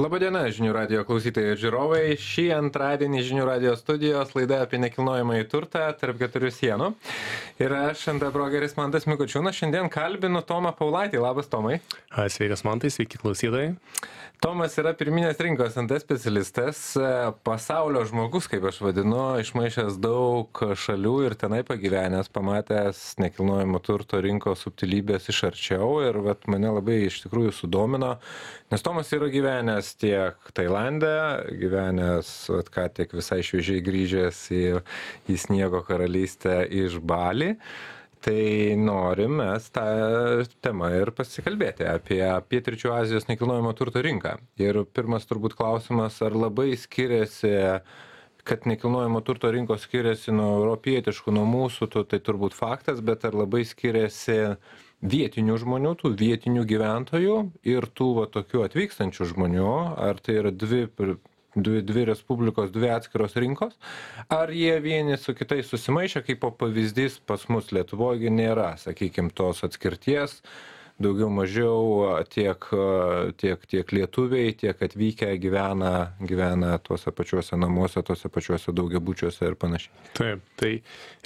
Labadiena, žinių radijo klausytojai ir žiūrovai. Šį antradienį žinių radijo studijos laida apie nekilnojamąjį turtą tarp keturių sienų. Ir aš, NT brokeris Mantas Mikučiūnas, šiandien kalbinu Tomą Paulaitį. Labas, Tomai. Sveikas, Mantai, sveiki klausytojai. Tomas yra pirminės rinkos NT specialistas, pasaulio žmogus, kaip aš vadinu, išmaišęs daug šalių ir tenai pagyvenęs, pamatęs nekilnojamo turto rinkos subtilybės iš arčiau ir mane labai iš tikrųjų sudomino, nes Tomas yra gyvenęs tiek Tailande, gyvenęs ką tik visai šviežiai grįžęs į sniego karalystę iš Bali. Tai norim mes tą temą ir pasikalbėti apie Pietryčių Azijos nekilnojamo turto rinką. Ir pirmas turbūt klausimas, ar labai skiriasi, kad nekilnojamo turto rinkos skiriasi nuo europietiškų, nuo mūsų, tai turbūt faktas, bet ar labai skiriasi vietinių žmonių, tų vietinių gyventojų ir tų tokių atvykstančių žmonių, ar tai yra dvi respublikos, dvi atskiros rinkos, ar jie vieni su kitais susimaišę, kaip pavyzdys pas mus Lietuvoje nėra, sakykime, tos atskirties, daugiau mažiau tiek lietuviai, tiek atvykę gyvena tuose pačiuose namuose, tuose pačiuose daugiabučiuose ir panašiai. Taip, tai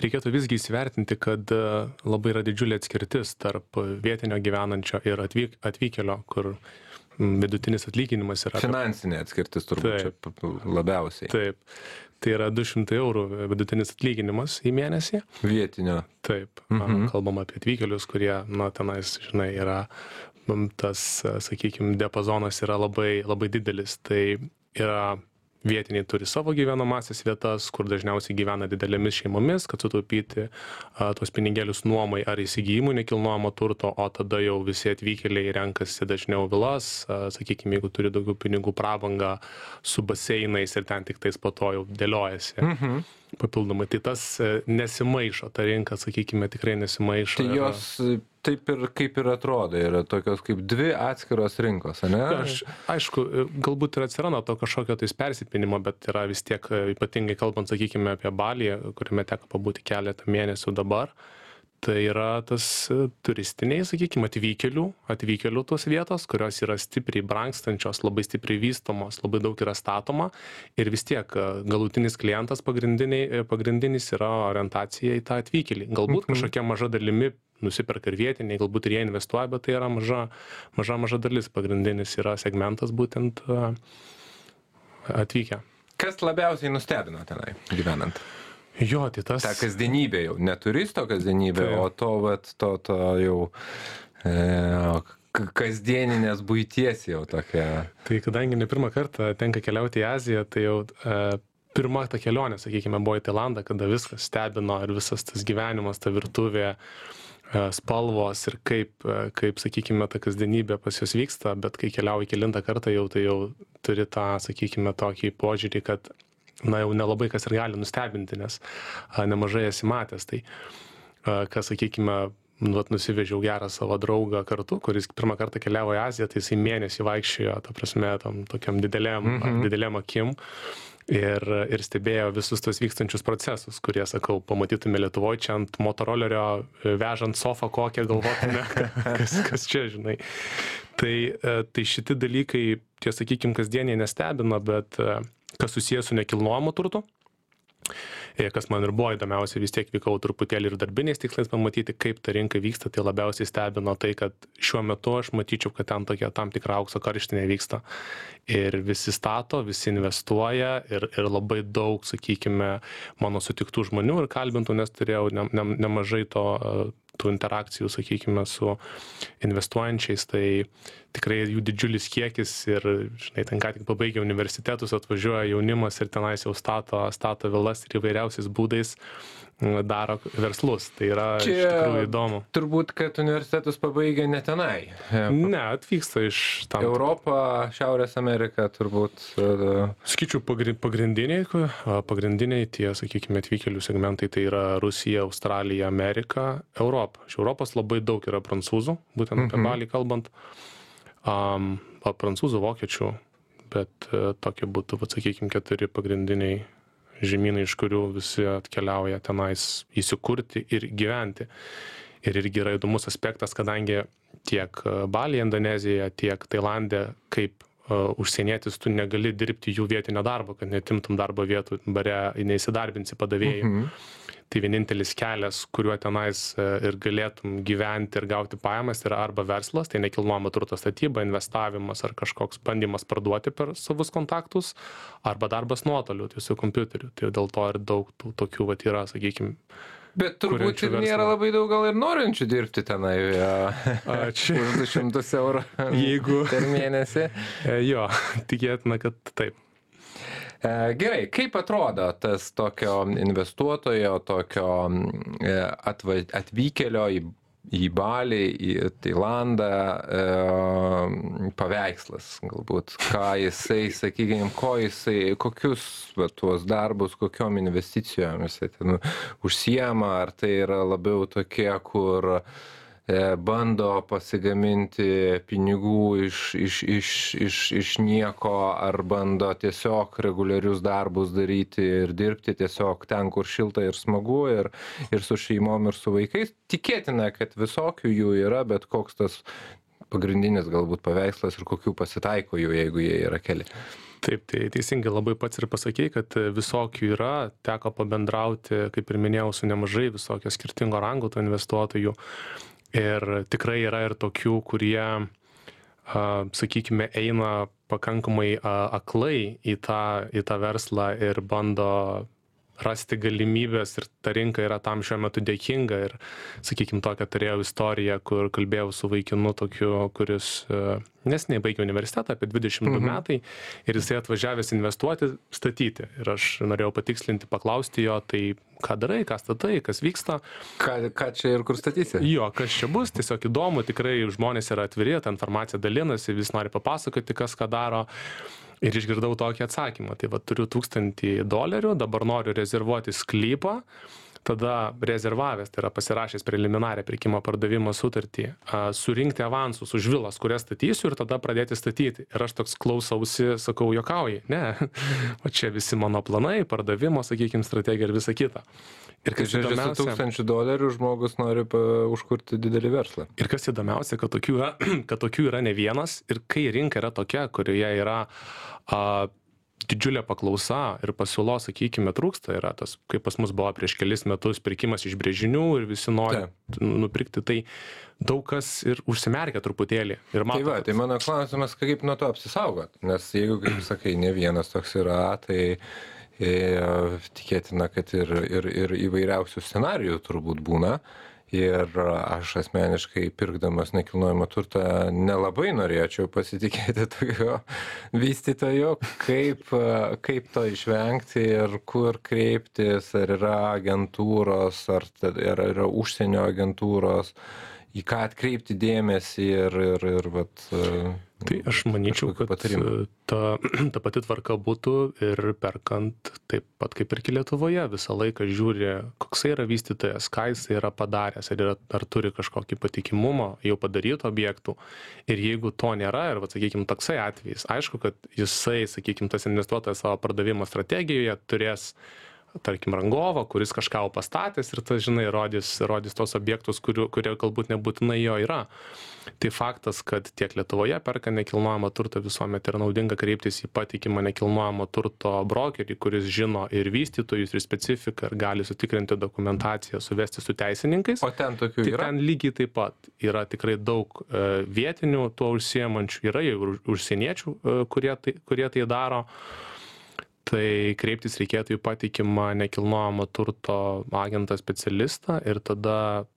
reikėtų visgi įsivertinti, kad labai yra didžiulė atskirtis tarp vietinio gyvenančio ir atvykėlio, kur vidutinis atlyginimas yra... Finansinė atskirtis turbūt čia labiausiai. Taip, tai yra 200 eurų vidutinis atlyginimas į mėnesį. Vietinio. Taip, kalbam apie atvykėlius, kurie, tenais, žinai, yra tas, sakykime, diapazonas yra labai, labai didelis. Tai yra vietiniai turi savo gyvenamąsias vietas, kur dažniausiai gyvena didelėmis šeimomis, kad sutaupyti tos pinigėlius nuomai ar įsigijimų nekilnojamo turto, o tada jau visi atvykėliai renkasi dažniau vilas, sakykime, jeigu turi daugiau pinigų, prabangą su baseinais ir ten tik tais po to jau dėliojasi papildomai. Tai tas nesimaišo, ta rinka, sakykime, tikrai nesimaišo. Tai jos taip ir kaip ir atrodo, yra tokios kaip dvi atskiros rinkos, ne? Aišku, galbūt ir atsiranda to kažkokio tais persipinimo, bet yra vis tiek, ypatingai kalbant, sakykime, apie Balį, kuriame teko pabūti keletą mėnesių dabar, tai yra tas turistiniai, sakykime, atvykėlių tos vietos, kurios yra stipriai brangstančios, labai stipriai vystomos, labai daug yra statoma ir vis tiek galutinis klientas pagrindinis yra orientacija į tą atvykėlį. Galbūt kažkokia maža dalimi nusiperka ir vietiniai, galbūt ir jie investuoja, bet tai yra maža dalis, pagrindinis yra segmentas būtent atvykę. Kas labiausiai nustebino tenai gyvenant? Jo, tai tas... Ta kasdienybė jau, ne turisto kasdienybė, o to jau kasdieninės buities jau tokia. Tai kadangi ne pirmą kartą tenka keliauti į Aziją, tai jau pirma ta kelionė, sakykime, buvo į Tailandą, kada viskas stebino ir visas tas gyvenimas, ta virtuvė, spalvos ir kaip, sakykime, ta kasdienybė pas jūs vyksta, bet kai keliauji kelintą kartą jau, tai jau turi tą, sakykime, tokį požiūrį, kad jau nelabai kas ir gali nustebinti, nes nemažai esi matęs. Tai, kas, sakykime, nusivežiau gerą savo draugą kartu, kuris pirmą kartą keliavo į Aziją, tai jisai mėnesį vaikščiojo, ta prasme, tokiam didelėm akim ir stebėjo visus tos vykstančius procesus, kurie, sakau, pamatytume Lietuvoje čia ant motorolerio vežant sofą kokią, galvotume, kas čia, žinai. Tai šiti dalykai, tie, sakykime, kasdieniai nestebina, bet kas susijęs su nekilnojamu turtu, kas man ir buvo įdomiausia, vis tiek vykau truputėlį ir darbiniais tikslais pamatyti, kaip ta rinka vyksta, tai labiausiai stebino tai, kad šiuo metu aš matyčiau, kad ten tokia tam tikra aukso karštinė vyksta. Ir visi stato, visi investuoja ir labai daug, sakykime, mano sutiktų žmonių ir kalbintų, nes turėjau nemažai tų interakcijų, sakykime, su investuojančiais, tai tikrai jų didžiulis kiekis ir, žinai, ten ką tik pabaigė universitetus, atvažiuoja jaunimas ir tenais jau stato vilas ir įvairiausiais būdais daro verslus. Tai yra iš tikrųjų įdomu. Turbūt, kad universitetus pabaigia ne tenai. Ne, atvyksta iš tam. Europą, Šiaurės Ameriką turbūt. Sakyčiau, pagrindiniai tie, sakykime, atvykėlių segmentai tai yra Rusija, Australija, Amerika, Europa. Iš Europos labai daug yra prancūzų, būtent apie Balį kalbant. Prancūzų, vokiečių, bet tokie būtų, sakykime, 4 pagrindiniai žemynai, iš kurių visi atkeliauja tenais įsikurti ir gyventi. Ir irgi yra įdomus aspektas, kadangi tiek Balyje, Indonezijoje, tiek Tailande, kaip užsienietis tu negali dirbti jų vietinio darbo, kad netimtum darbo vietų bare, neįsidarbinsi padavėjai. Tai vienintelis kelias, kuriuo tenais ir galėtum gyventi ir gauti pajamas, yra arba verslas, tai nekilnojamo turto statyba, investavimas ar kažkoks bandymas parduoti per savus kontaktus, arba darbas nuotoliu, tai su kompiuteriu. Tai dėl to ir daug tokių vat yra, sakykime. Bet turbūt ir nėra labai daug gal ir norinčių dirbti tenai už 200 eurų per mėnesį. Jo, tikėtina, kad taip. Gerai, kaip atrodo tas tokio investuotojo, tokio atvykėlio į Balį, į Tailandą paveikslas galbūt, ką jisai, sakykime, kokius tuos darbus, kokiom investicijom jisai ten užsiema, ar tai yra labiau tokie, kur bando pasigaminti pinigų iš nieko, ar bando tiesiog reguliarius darbus daryti ir dirbti tiesiog ten, kur šilta ir smagu, ir su šeimom, ir su vaikais. Tikėtina, kad visokių jų yra, bet koks tas pagrindinis galbūt paveikslas ir kokių pasitaiko jų, jeigu jie yra keli. Taip, tai teisingai labai pats ir pasakei, kad visokių yra, teko pabendrauti, kaip ir minėjau, su nemažai visokio skirtingo rango tų investuotojų. Ir tikrai yra ir tokių, kurie, sakykime, eina pakankamai aklai į tą verslą ir bando rasti galimybės, ir ta rinka yra tam šiuo metu dėkinga. Ir, sakykime, tokią turėjau istoriją, kur kalbėjau su vaikinu tokiu, kuris neseniai baigė universitetą, apie 22 metai, ir jisai atvažiavęs investuoti, statyti. Ir aš norėjau patikslinti, paklausti jo, tai ką darai, ką statai, kas vyksta. Ką čia ir kur statysi? Jo, kas čia bus, tiesiog įdomu, tikrai žmonės yra atviri, ta informacija dalinasi, vis nori papasakoti, kas ką daro. Ir išgirdau tokį atsakymą, tai va turiu $1000, dabar noriu rezervuoti sklypą, tada rezervavęs, tai yra pasirašęs preliminarią pirkimo pardavimo sutartį, surinkti avansus už vilas, kurias statysiu, ir tada pradėti statyti. Ir aš toks klausausi, sakau, juokauji, ne, o čia visi mano planai, pardavimo, sakykime, strategija ir visa kita. Ir kas įdomiausia, $1000 žmogus nori užkurti didelį verslą. Ir kas įdomiausia, kad tokių yra ne vienas, ir kai rinka yra tokia, kurioje yra didžiulė paklausa ir pasiūlos, sakykime, trūksta, yra tas, kaip pas mus buvo prieš kelis metus pirkimas iš brėžinių ir visi nori nupirkti, tai daug kas ir užsimerkia truputėlį. Ir mato, tai mano klausimas, kaip nuo to apsisaugot, nes jeigu, kaip sakai, ne vienas toks yra, tai tikėtina, kad ir įvairiausių scenarijų turbūt būna. Ir aš asmeniškai pirkdamas nekilnojamą turtą nelabai norėčiau pasitikėti tokio vystytojo, kaip to išvengti ir kur kreiptis, ar yra agentūros, ar yra užsienio agentūros, į ką atkreipti dėmesį ir vat. Tai aš manyčiau, kad ta pati tvarka būtų ir perkant taip pat kaip ir Lietuvoje. Visą laiką žiūri, koks yra vystytojas, ką jis yra padaręs, ar turi kažkokį patikimumą jau padarytų objektų. Ir jeigu to nėra, ir, sakykime, toksai atvejis, aišku, kad jisai, sakykime, tas investuotojas savo pardavimo strategijoje turės, tarkim, rangovą, kuris kažką pastatęs ir tas, žinai, rodys tos objektus, kurie galbūt nebūtinai jo yra. Tai faktas, kad tiek Lietuvoje perka nekilnojamą turtą, visuomet yra naudinga kreiptis į patikimą nekilnojamo turto brokerį, kuris žino ir vystytojus, ir specifiką, ir gali sutikrinti dokumentaciją, suvesti su teisininkais. O ten tokių yra? Ten lygiai taip pat yra tikrai daug vietinių tuo užsiemančių, yra jau užsieniečių, kurie tai daro. Tai kreiptis reikėtų į patikimą nekilnojamo turto agentą specialistą ir tada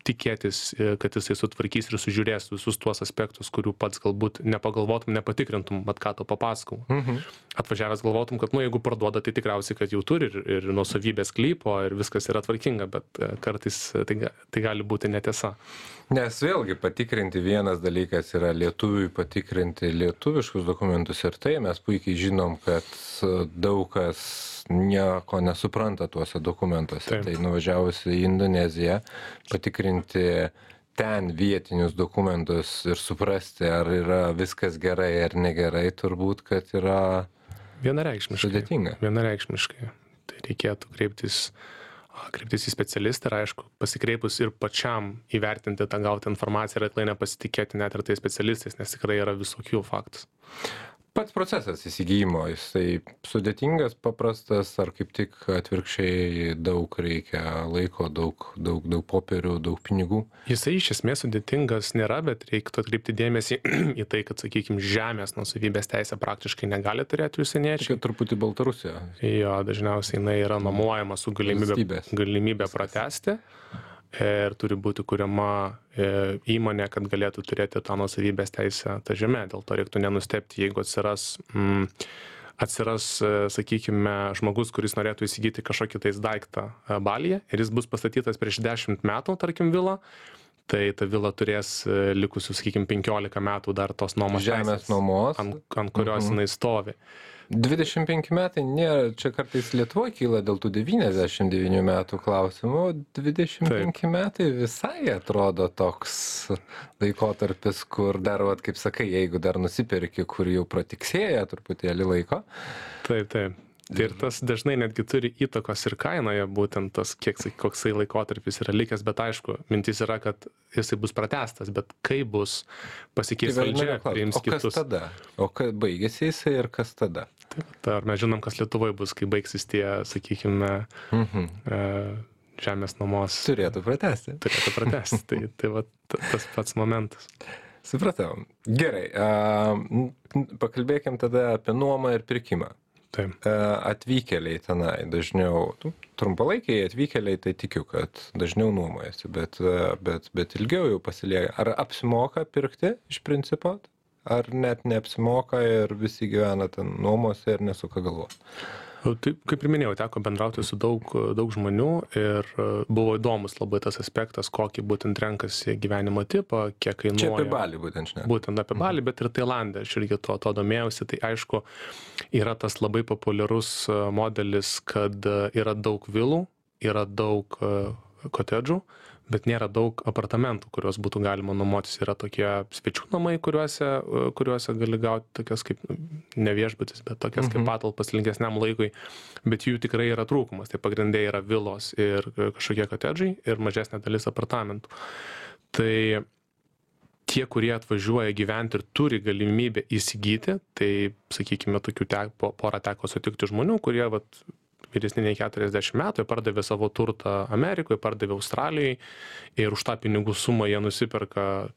tikėtis, kad jisai sutvarkys ir sužiūrės visus tuos aspektus, kurių pats galbūt nepagalvotum, nepatikrintum, bet ką to papasakau. Atvažiavęs galvotum, kad, jeigu parduoda, tai tikriausiai, kad jau turi ir nuosavybės sklypo ir viskas yra tvarkinga, bet kartais tai gali būti netiesa. Nes vėlgi patikrinti vienas dalykas yra lietuviui patikrinti lietuviškus dokumentus ir tai mes puikiai žinom, kad daug kas nieko nesupranta tuose dokumentuose. Taip. Tai nuvažiavus į Indoneziją patikrinti ten vietinius dokumentus ir suprasti, ar yra viskas gerai ar negerai, turbūt, kad yra vienareikšmiškai sudėtinga. Vienareikšmiškai. Tai reikėtų kreiptis kreiptis į specialistą ir aišku, pasikreipus ir pačiam įvertinti tą gautą informaciją ir aklai nepasitikėti net ir tais specialistais, nes tikrai yra visokių faktų. Pats procesas įsigijimo, jisai sudėtingas, paprastas, ar kaip tik atvirkščiai daug reikia laiko, daug popierių, daug pinigų? Jisai iš esmės sudėtingas nėra, bet reiktų atkreipti dėmesį į tai, kad, sakykime, žemės nuosavybės teisė praktiškai negali turėti užsieniečiai. Čia truputį Baltarusija. Jo, dažniausiai jinai yra nuomojama su galimybė pratęsti. Ir turi būti kuriama įmonė, kad galėtų turėti tą nuosavybės teisę tą žemę. Dėl to reiktų nenustebti, jeigu atsiras, sakykime, žmogus, kuris norėtų įsigyti kažkokį tais daiktą Balyje ir jis bus pastatytas prieš 10 metų, tarkim, vila, tai ta vila turės likusius, sakykime, 15 metų dar tos nuomos žemės nuomos, ant kurios jinai stovi. 25 metai nėra, čia kartais Lietuvoje kyla dėl tų 99 metų klausimų, 25 metai visai atrodo toks laikotarpis, kur dar, kaip sakai, jeigu dar nusipirki, kur jau pratiksėja truputėlį laiko. Taip. Ir tas dažnai netgi turi įtakos ir kainoje, būtent tas, koksai laikotarpis yra likęs, bet aišku, mintis yra, kad jisai bus pratęstas, bet kai bus pasikeis valdžia, priims kitus. O kas tada? O baigėsi jisai ir kas tada? Taip, ar mes žinom, kas Lietuvoje bus, kai baigsis tie, sakykime, žemės nuomos. Turėtų pratęsti. Tai va, tas pats momentas. Supratau. Gerai, pakalbėkim tada apie nuomą ir pirkimą. Taip. Atvykėliai tenai dažniau, trumpalaikiai atvykėliai, tai tikiu, kad dažniau nuomojasi, bet ilgiau jau pasilieka. Ar apsimoka pirkti iš principo, ar net neapsimoka ir visi gyvena ten nuomose ir nesuka galvos? Taip, kaip ir minėjau, teko bendrauti su daug žmonių ir buvo įdomus labai tas aspektas, kokį būtent renkasi gyvenimo tipą, kiek kainuoja. Čia apie Balį būtent žinai. Būtent apie Balį, bet ir Tailande, aš irgi to domėjausi, tai aišku, yra tas labai populiarus modelis, kad yra daug vilų, yra daug kotedžų, bet nėra daug apartamentų, kuriuos būtų galima nuomotis. Yra tokie svečių namai, kuriuose gali gauti tokias kaip, ne viešbutis, bet tokias kaip patalpas ilgesniam laikui, bet jų tikrai yra trūkumas. Tai pagrindai yra vilos ir kažkokie kotedžai ir mažesnė dalis apartamentų. Tai tie, kurie atvažiuoja gyventi ir turi galimybę įsigyti, tai, sakykime, tokių porą teko sutikti žmonių, kurie vyresni nei 40 metų, jie pardavė savo turtą Amerikoje, pardavė Australijai ir už tą pinigų sumą jie nusiperka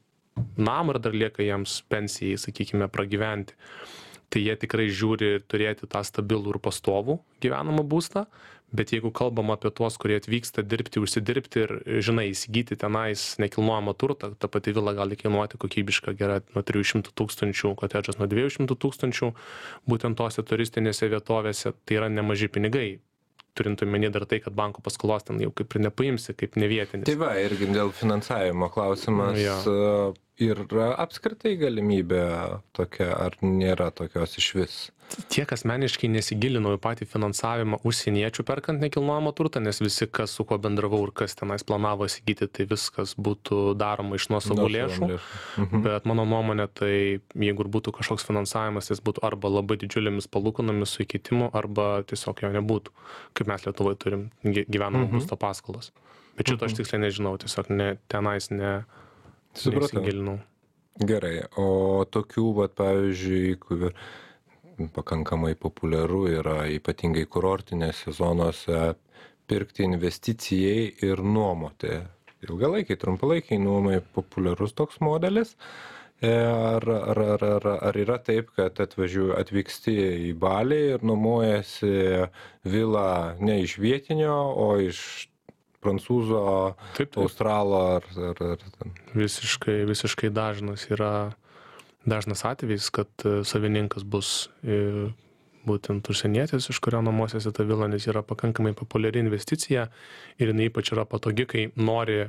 namą ir dar lieka jiems pensijai, sakykime, pragyventi. Tai jie tikrai žiūri turėti tą stabilų ir pastovų gyvenamą būstą, bet jeigu kalbam apie tuos, kurie atvyksta dirbti, užsidirbti ir, žinai, įsigyti tenais nekilnojamą turtą, ta pati vila gali kainuoti kokybišką gerą nuo 300 000, kotedžas nuo 200 000, būtent tose turistinėse vietovėse, tai yra nemaži pinigai. Turint omeny dar tai, kad banko paskolos ten jau kaip ir nepaimsi, kaip nevietinis. Tai va, irgi dėl finansavimo klausimas. Yra apskritai galimybė tokia, ar nėra tokios iš vis? Tiek asmeniškai nesigilinau į patį finansavimą užsieniečių perkant nekilnojamą turtą, nes visi, kas su kuo bendravau ir kas tenais planavo įsigyti, tai viskas būtų daroma iš nuosavų lėšų. Bet mano nuomonė, tai jeigu būtų kažkoks finansavimas, jis būtų arba labai didžiulėmis palūkanomis su įkeitimu, arba tiesiog jo nebūtų, kaip mes Lietuvoje turim gyvenamo būsto paskolas. Bet šito aš tiksliai nežinau, tiesiog tenais nesigilinau. Gerai, o tokių, pavyzdžiui, kur pakankamai populiaru yra ypatingai kurortinėse zonose pirkti investicijai ir nuomoti. Ilgalaikiai, trumpalaikiai nuomai populiarus toks modelis. Ar yra taip, kad atvyksti į Balį ir nuomojasi vilą ne iš vietinio, o iš prancūzo, australo ar Visiškai dažnas atvejis, kad savininkas bus būtent užsienietis, iš kurio nuomosiasi ta vila, nes yra pakankamai populiari investicija ir jinai ypač yra patogi, kai nori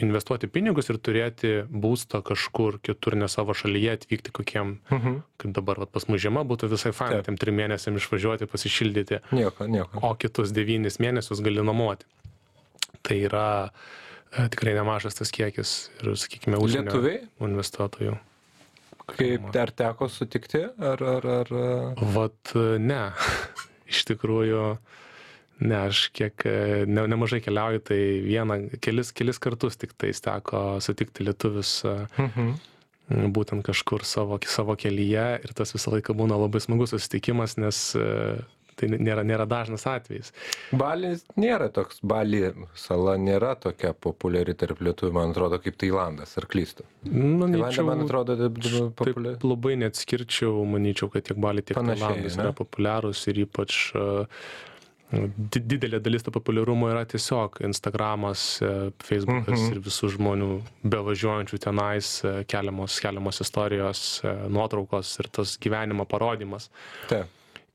investuoti pinigus ir turėti būstą kažkur kitur, ne savo šalyje, atvykti kokiem, kaip dabar pas mus žiema būtų visai faina, tiem 3 mėnesiam išvažiuoti, pasišildyti, o kitus 9 mėnesius gali nuomoti. Tai yra tikrai nemažas tas kiekis ir, sakykime, užsienio investuotojų. Kaip dar teko sutikti? Vat ne, iš tikrųjų Ne, aš kiek nemažai keliauju, tai kelis kartus tik tais teko sutikti lietuvius būtent kažkur savo kelyje ir tas visą laiką būna labai smagus susitikimas, nes tai nėra dažnas atvejis. Balis nėra toks, Bali sala nėra tokia populiari tarp lietuvių, man atrodo, kaip Tailandas, ar klystu? Tailande, man atrodo, populiari. Taip labai neatskirčiau, manyčiau, kad tiek Bali, tiek Tailandas yra populiarūs ir ypač didelė dalis to populiarumo yra tiesiog Instagramas, Facebookas ir visų žmonių bevažiuojančių tenais keliamos istorijos, nuotraukos ir tas gyvenimo parodymas. Taip.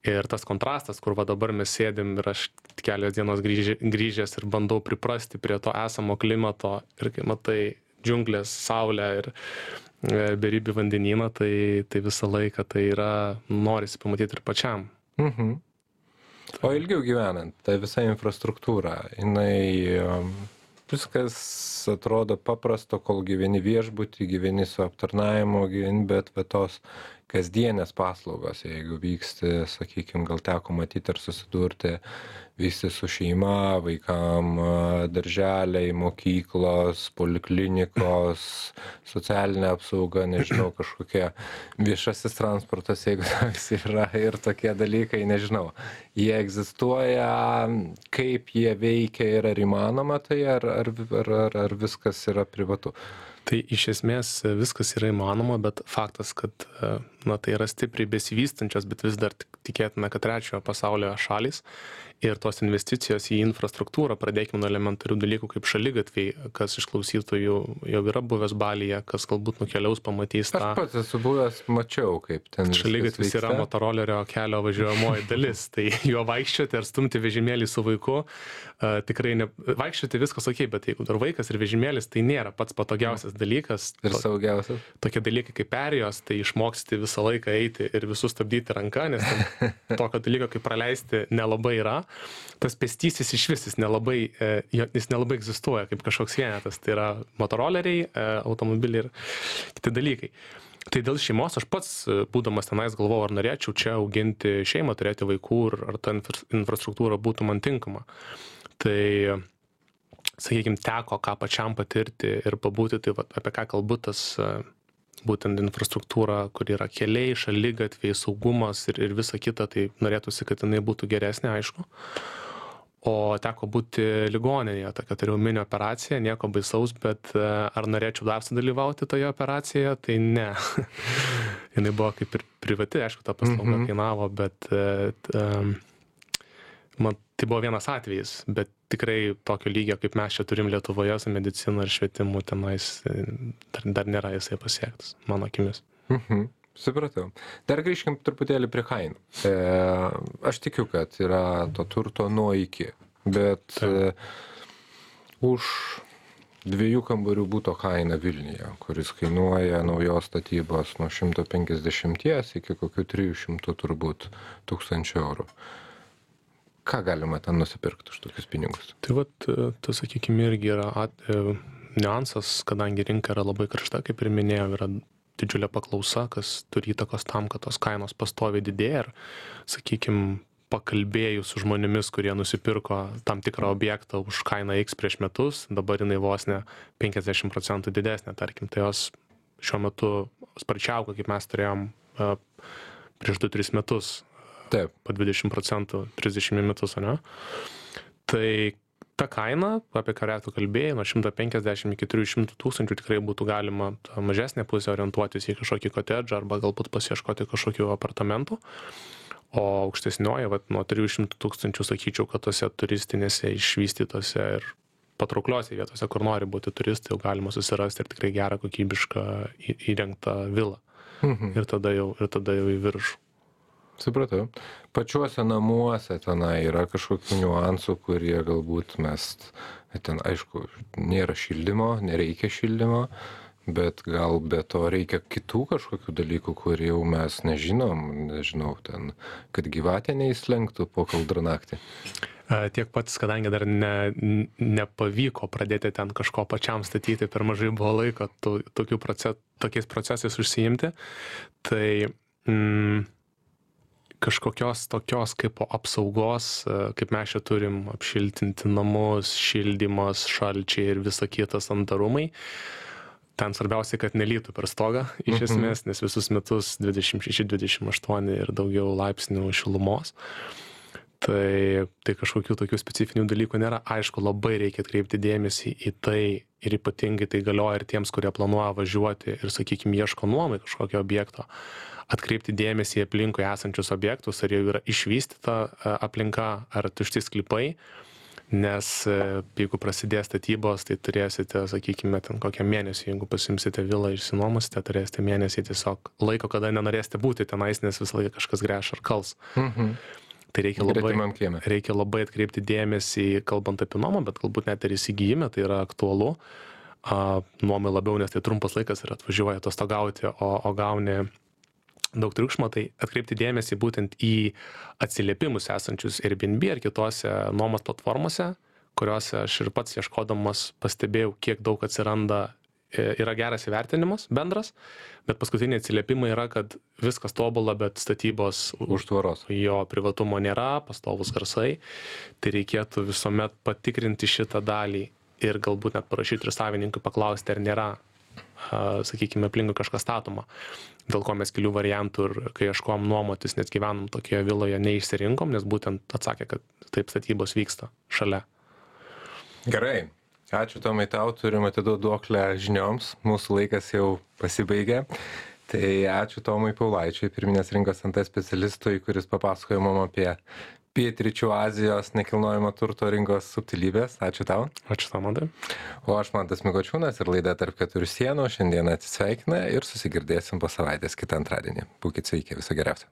Ir tas kontrastas, kur va dabar mes sėdim ir aš kelios dienos grįžęs ir bandau priprasti prie to esamo klimato ir kai matai džiunglės, saulę ir beribį vandenyną, tai visą laiką tai yra, norisi pamatyti ir pačiam. O ilgiau gyvenant, ta visa infrastruktūra, jinai viskas atrodo paprasto, kol gyveni viešbutį, gyveni su aptarnavimu, bet tos kasdienės paslaugos, jeigu vyksti, sakykime, gal teko matyti ar susidurti, visi su šeima, vaikam, darželiai, mokyklos, poliklinikos, socialinė apsauga, nežinau, kažkokie viešasis transportas, jeigu toks yra ir tokie dalykai, nežinau. Jie egzistuoja, kaip jie veikia ir ar įmanoma tai, ar viskas yra privatu? Tai iš esmės viskas yra įmanoma, bet faktas, kad tai yra stipriai besivystančios, bet vis dar tikėtume, kad trečiojo pasaulio šalys ir tos investicijos į infrastruktūrą, pradėkime nuo elementarių dalykų kaip šaligatviai, kas iš klausytojų jau yra buvęs Balyje, kas galbūt nukeliaus, pamatys tą. Aš pats esu buvęs, mačiau, kaip ten šaligatvis yra motorolerio kelio važiuojamoji dalis, tai juo vaikščioti ar stumti vežimėlį su vaiku, tikrai vaikščioti viskas ok, bet jeigu dar vaikas ir vežimėlis, tai nėra pats patogiausias dalykas. Ir saugiausias. Tokie dalykai kaip perėjos, tai išmoksti visą laiką eiti ir visus stabdyti ranką, nes tokio dalyko kaip praleisti nelabai yra. Tas pėstysis iš vis, jis nelabai egzistuoja kaip kažkoks vienetas. Tai yra motoroleriai, automobiliai ir kiti dalykai. Tai dėl šeimos aš pats, būdamas tenais, galvojau, ar norėčiau čia auginti šeimą, turėti vaikų ir ar ta infrastruktūra būtų man tinkama. Tai, sakykime, teko ką pačiam patirti ir pabūti, tai apie ką kalbu tas būtent infrastruktūra, kur yra keliai, šaligatviai, saugumas ir visa kita, tai norėtųsi, kad jinai būtų geresnė, aišku. O teko būti ligoninėje, tokia turėjau mini operaciją, nieko baisaus, bet ar norėčiau dar sudalyvauti toje operacijoje, tai ne. Jinai buvo kaip ir privati, aišku, ta paslauga kainavo, bet tai buvo vienas atvejis, bet tikrai tokio lygio, kaip mes čia turim Lietuvoje su medicina ir švietimu, tenais dar nėra jisai pasiektas, mano akimis. Supratau. Dar grįžkim truputėlį prie kainų. Aš tikiu, kad yra to turto nuo iki, bet už 2 kambarių būto kaina Vilniuje, kuris kainuoja naujos statybos nuo 150 iki kokių 300 turbūt tūkstančių eurų. Ką galima ten nusipirkti už tokius pinigus? Tai tas, sakykime, irgi yra niuansas, kadangi rinka yra labai karšta, kaip ir minėjau, yra didžiulė paklausa, kas turi įtakos tam, kad tos kainos pastoviai didėja ir, sakykime, pakalbėjus su žmonėmis, kurie nusipirko tam tikrą objektą už kainą X prieš metus, dabar jinai vos ne 50% didesnė, tarkim, tai jos šiuo metu sparčiausia, kaip mes turėjom prieš 2-3 metus. Taip. Po 20%, 30 metus, ne? Tai ta kaina, apie kurią tu kalbėjai, nuo 150 iki 300 tūkstančių tikrai būtų galima mažesnė pusė orientuotis į kažkokį kotedžą arba galbūt pasiieškoti kažkokių apartamentų. O aukštesnioji, nuo 300 tūkstančių sakyčiau, kad tose turistinėse išvystytose ir patraukliose vietose, kur nori būti turistai, jau galima susirasti ir tikrai gerą kokybišką įrengtą vilą. Ir tada jau į viršų. Supratau. Pačiuose namuose tenai yra kažkokių niuansų, kurie galbūt ten, aišku, nėra šildymo, nereikia šildymo, bet gal be to reikia kitų kažkokių dalykų, kur jau mes nežinau, ten, kad gyvatė neįslenktų po kaldrą-naktį. Tiek pats, kadangi dar nepavyko pradėti ten kažko pačiam statyti, per mažai buvo laiko tokiais procesais užsiimti, tai kažkokios tokios kaip apsaugos, kaip mes čia turim apšiltinti namus, šildymas, šalčiai ir visa kita sandarumai. Ten svarbiausia, kad nelytų per stogą iš esmės, nes visus metus 26, 28 ir daugiau laipsnių šilumos. Tai kažkokių tokių specifinių dalykų nėra. Aišku, labai reikia atkreipti dėmesį į tai ir ypatingai tai galioja ir tiems, kurie planuoja važiuoti ir, sakykime, ieško nuomai kažkokio objekto. Atkreipti dėmesį į aplinkui esančius objektus, ar jau yra išvystyta aplinka, ar tušti sklypai, nes jeigu prasidės statybos, tai turėsite, sakykime, ten kokią mėnesį, jeigu pasimsite vilą ir išsinuomosite, turėsite mėnesį tiesiog laiko, kada nenorėsite būti tenais, nes visą laiką kažkas gręš ar kals. Tai reikia labai atkreipti dėmesį, kalbant apie nuomą, bet galbūt net ir įsigijime, tai yra aktualu. Nuomai labiau, nes tai trumpas laikas ir atvažiuoja atostogauti, o gauni daug triukšmo, tai atkreipti dėmesį būtent į atsiliepimus esančius Airbnb ar kitose nuomos platformose, kuriuose aš ir pats ieškodamas pastebėjau, kiek daug atsiranda. Yra geras įvertinimas bendras, bet paskutiniai atsiliepimai yra, kad viskas tobula, bet statybos už tvoros. Jo privatumo nėra, pastovus garsai. Tai reikėtų visuomet patikrinti šitą dalį ir galbūt net parašyti ir savininkui paklausti, ar nėra, sakykime, aplinkui kažkas statoma. Dėl ko mes kelių variantų ir kai ieškom nuomotis, nes gyvenom tokioje viloje, neišsirinkom, nes būtent atsakė, kad taip statybos vyksta šalia. Gerai. Ačiū Tomai tau, turim atiduoti duoklę žinioms, mūsų laikas jau pasibaigė. Tai ačiū Tomui Paulaičiui, pirminės rinkos NT specialistui, kuris papasakojo mum apie Pietryčių Azijos nekilnojamo turto rinkos subtilybės. Ačiū tau. Ačiū tau, Mantai. O aš Mantas Mikočiūnas ir laida Tarp keturių sienų šiandien atsisveikina ir susigirdėsim po savaitės kitą antradienį. Būkit sveiki, viso geriausio.